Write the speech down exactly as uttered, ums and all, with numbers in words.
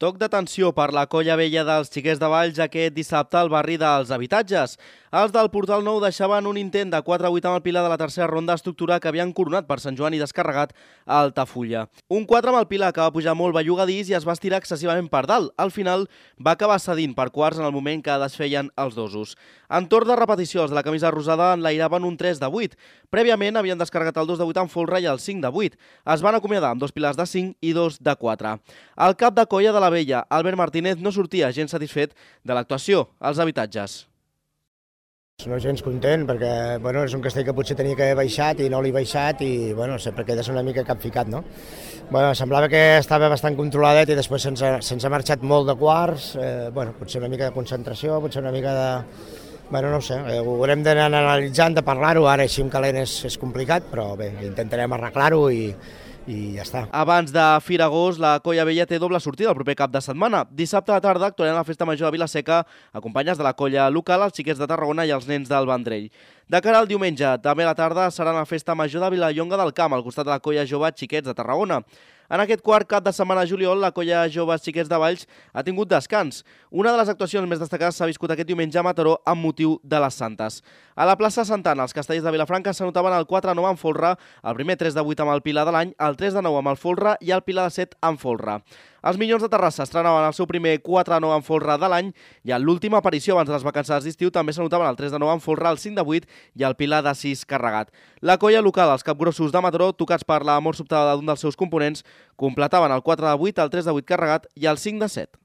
Toc d'atenció per la colla vella dels Xiquets de Valls aquest dissabte al barri dels Habitatges. Els del Portal Nou deixaven un intent de quatre a vuit amb el Pilar de la tercera ronda estructura que havien coronat per Sant Joan i descarregat a Altafulla. Un quatre amb el Pilar que va pujar molt bellugadís i es va estirar excessivament per dalt. Al final va acabar cedint per quarts en el moment que desfeien els dosos. En torn de repetició, els de la camisa rosada enlairaven un tres de vuit. Prèviament havien descarregat el dos de vuit amb folre i el cinc de vuit. Es van acomiadar amb dos pilars de cinc i dos de quatre. El cap de colla de la vella, Albert Martínez, no sortia gens satisfet de l'actuació als Habitatges. No gens content perquè bueno, és un castell que potser tenia que haver baixat i no l'he baixat i bueno, sempre quedes una mica capficat, no? Bueno, semblava que estava bastant controladet i després se'ns ha, se'ns ha marxat molt de quarts, eh, bueno, potser una mica de concentració, potser una mica de... Bueno, no ho sé, eh, ho haurem d'anar analitzant, de parlar-ho, ara així amb calent és, és complicat, però bé, intentarem arreglar-ho i, i ja està. Abans de Fira Agost, la colla vella té doble sortida el proper cap de setmana. Dissabte a la tarda actuaran a la Festa Major de Vilaseca, acompanyats de la colla local, els Xiquets de Tarragona i els nens del Vendrell. De cara al diumenge, també a la tarda, serà la Festa Major de Vilallonga del Camp, al costat de la colla jove Xiquets de Tarragona. En aquest quart cap de setmana de juliol, la colla jove Xiquets de Valls ha tingut descans. Una de les actuacions més destacades s'ha viscut aquest diumenge a Mataró amb motiu de les Santes. A la plaça Santana, els castellers de Vilafranca s'anotaven el quatre a nou amb folre, el primer tres de vuit amb el Pilar de l'any, el tres de nou amb el folre i el Pilar de set amb folre. Els Minyons de Terrassa estrenaven el seu primer quatre a nou amb folre de l'any i en l'última aparició abans de les vacances d'estiu també s'anotaven el tres de nou amb folre, el cinc de vuit i el Pilar de sis carregat. La colla local, els capgrossos de Mataró, tocats per la mort sobtada d'un dels seus components, completaven el quatre de vuit, el tres de vuit carregat i el cinc de set.